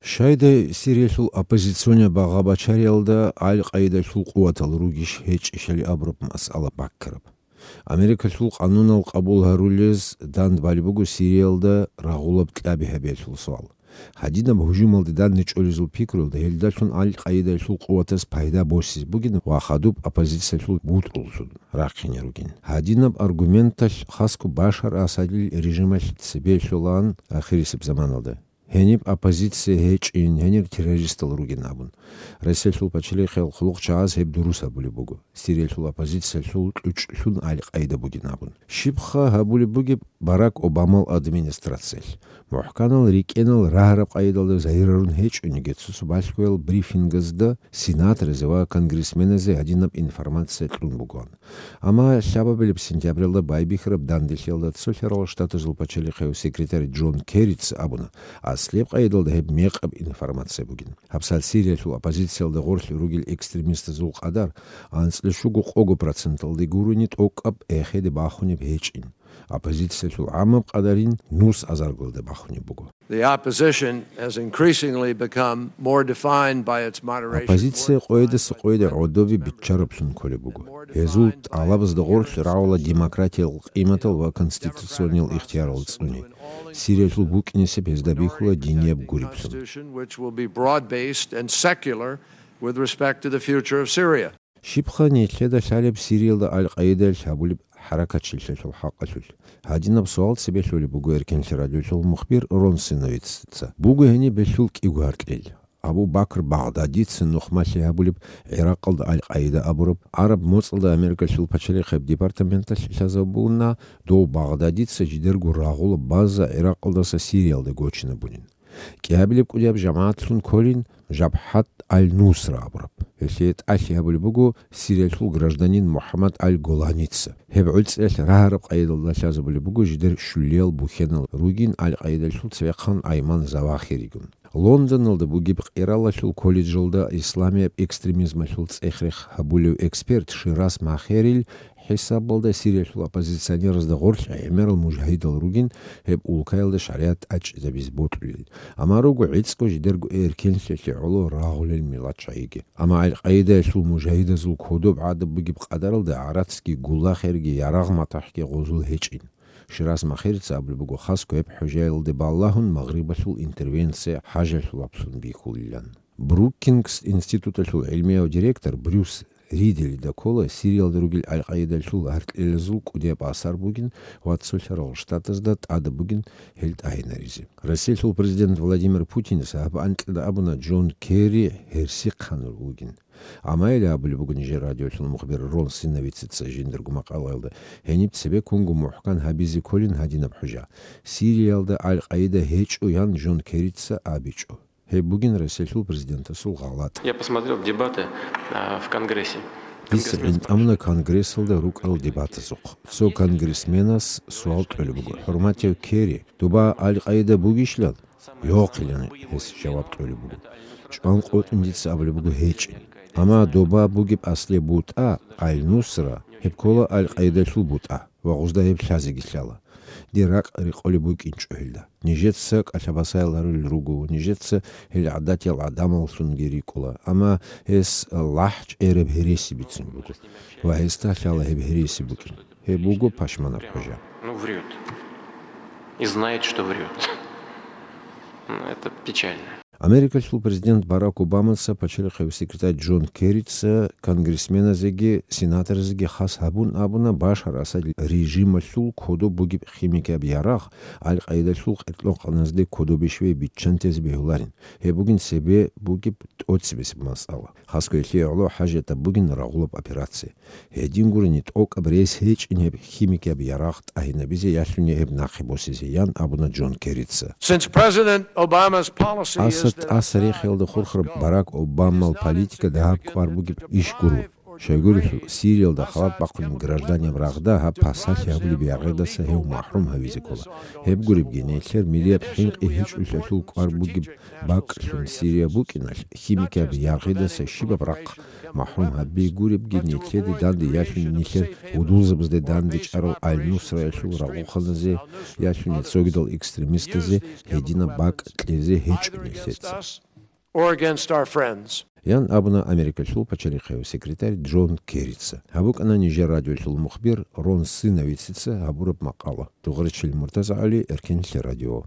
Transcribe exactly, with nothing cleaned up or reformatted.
Щайдай Сириялъул оппозиционный багъа-бачариялда Аль-Къаидалъул къуватал ругищ гьечӀищали абураб масъала баккараб. Америкалъул къанунал къабул гьарулез дандбали буго Сириялда рагъулаб кьаби гьабиялъул суал. Гьадинаб гьужумалде данде чӀолезул пикруялда гьелдалъун Аль-Къаидалъул къуватаз пайда босизе бугин ва хадуб оппозициялъул бутӀруллъун рахъине ругин. Гьадинаб аргументалъ хасго Башар Асадил режималъ цебе лъолаан ахирисеб заманалда. Гьениб оппозиция гьечӀин, гьенир террористал ругин абун. Россиялъул пачалихъиял хъулухъчагӀаз гьеб дурус гьабулеб буго. Сириялъул оппозициялъул кьучӀлъун Аль-Къаида бугин абун. Щибха гьабулеб бугеб Барак Обамал администрациялъ? МухӀканал рикӀкӀенал рагьараб къайдалда загьирарун гьечӀониги, цо-цо балъгоял брифингазда сенаторазе ва конгрессменазе гьадинаб информация кьун бугоан. Амма лъабабилеб сентябралда байбихьараб данделъиялда Цолъарал Штатазул пачалихъияв секретарь Джон Керрица абуна, аслияб къайдалда гьеб мекъаб информация бугин. ГьабсагӀат Сириялъул оппозициялда гъорлъ ругел экстремистазул къадар анцӀила щуго-къого проценталде гурони тӀокӀаб эхеде бахунеб гьечӀин. Оппозициялъул гӀамаб къадарин нус азаргалде бахунеб буго. The opposition has increasingly become more defined by its moderation. Оппозиция къоядаса къояде гӀодобе биччараблъун кколеб буго. Гьезул тӀалабазда гъорлъ рагӀула демократиял къиматал ва конституциониял ихтиярал цӀуни. Сириялъул букӀинесеб гьезда бихьула динияб гуриблъун. Constitution which will be broad-based and secular with respect to the future of Syria. Щибха нилъеда лъалеб Сириялда Аль-Къаидаялъ гьабулеб хӀаракатчилъиялъул хӀакъалъулъ? Гьадинаб суал цебе лъолеб буго Эркенлъи радиолъул мухбир Рон Синовицаца. Буго гьениб белъул кӀиго гьаркьил. Абу Бакр Багъдадица нухмалъи гьабулеб, ГӀиракъалда Аль-Къаида абураб, гӀараб моцӀалда Америкалъул пачалихъияб департаменталъ лъазабуна, дов Багъдадица жидерго рагъула база ГӀиракъалдаса Сириялда гочинабунин. КӀиабилеб кӀудияб жамагӀатлъун кколин Жабхат Аль-Нусра абураб. Гьелъие тӀалъи гьабулеб буго Сириялъул гражданин МухӀаммад Аль-Голаница. Гьеб гӀуцӀиялъ рагьараб къайдалда лъазабулеб буго жидер щулиял бухьенал ругин Аль-Къайдалъул цевехъан Айман Завахиригун. Лондоналда бугеб Къиралалъул колледжалда исламияб экстремизмалъул цӀех-рех гьабулев эксперт Шираз Махерил хӀисабалда Сириялъул оппозиционеразда гъорлъ гӀемерал мужагьидал ругин гьеб улкаялда шаригӀат тӀачӀизабизе бокьулел. Амма руго гӀицӀго жидерго эркенлъиялъе гӀоло рагъулел миллатчагӀиги. Амма Аль-Къаидаялъул мужагьидазул кодоб гӀадаб бугеб къадаралда гӀарацги, гулахерги, ярагъ-матахӀги гъозул гьечӀин. Шираз Махерица абулеб буго, хасго гьеб хӀужаялде балагьун Магърибалъул интервенция хӀажалъулаблъун бихьулилан. Брукингс институталъул гӀилмияв директор Брюс Ридели дакола Сириялда ругел Аль-Къаидалъул гьаркьилазул кӀудияб асар бугин ва Цолъарал Штатазда тӀадаб бугин гьел тӀагьинаризе. Россиялъул президент Владимир Путинас гьаб анкьида абуна Джон Керри гьерсихъан вугин. Амма гьеле абулеб буго нижер радиолъул мухбир Рон Синовицаца жиндирго макъалаялда, гьениб цебеккунго мухӀкан гьабизе кколин гьадинаб хӀужа: Сириялда Аль-Къаида гьечӀо, ян Джон Керрица абичӀо. Гьеб бугин Россиялъул президентасул гъалатӀ. Я посмотрел дебаты, а, в Конгрессе. Дица гӀинтӀамуна Конгрессалда рукӀарал дебатазухъ. Цо конгрессменас суал кьолеб буго: «ХӀурматияв Керри, доба Аль-Къаида бугищилан?» «Йохъилан», — гьес жаваб кьолеб буго. ЧӀван къотӀун дица абулеб буго: «ГьечӀин». Амма доба бугеб аслияб бутӀа, Аль-Нусра, гьеб ккола Аль-Къаидалъул бутӀа ва гъузда гьеб лъазеги лъала. Дир ракӀ рекъолеб букӀинчӀо гьелда. Нижеца кӀалъабасаял гьарулел руго, нижеца гьел гӀадатиял гӀадамаллъунги рикӀкӀула, амма гьес лахӀ чӀераб гьереси бицун буго ва гьесда лъала гьеб гьереси букӀин. Гьеб буго пашманаб хӀужа. Ну, врёт. И знает, что врёт. Ну, это печально. Америкалъул президент Барак Обамаца пачалихъив секретарь Джон Керрица конгрессменазеги сенаторазеги хас гьабун абуна Башар Асад режималъул кодоб бугеб химикияб ярагъ Аль-Къаидалъул къеркьокъаназде кодобе щвей биччантезе бегьуларин. Гьеб бугин цебе бугеб тӀоцебесеб масъала. Хасго гьелъие гӀоло хӀажатаб бугин рагъулаб операция. Гьедин гурени, тӀокӀаб рес гьечӀин гьеб химикияб ярагъ тӀагьинабизе ялъуни гьеб нахъе босизе, ян абуна Джон Керрица. Since President Obama's policy is Аса to тӀаса рехиялда хурхараб Барак Обамал политика дагьаб кӀвар бугеб иш гуро. Щайгурелъул, Сириялда халат бахъунеб гражданин рагъда гьаб пасалъи гьабулеб яргъидаса гьев махӀрум гьавизе ккола. Гьеб гуребги, нилъер милияб хӀинкъи гьечӀолъиялъул кӀвар бугеб бакӀлъун Сирия букӀиналъ, химикияб яргъидаса щибаб рахъ махӀрум гьаби гуребги, нилъеде данде ялъун нилъер гьудулзабазде данде чӀарав Аль-Нусраялъул рагъухъаназе, ялъуни цогидал экстремистазе гьединаб бакӀ кьезе гьечӀо нилъеца. Or against our friends. Ян абуна Америкалъул пачалихъияв секретарь Джон Керрица. Гьаб букӀана нижер радиолъул мухбир Рон Сыновицаца гьабураб макъала. Дугъричил Муртаза ГӀали, Эркенлъи радио.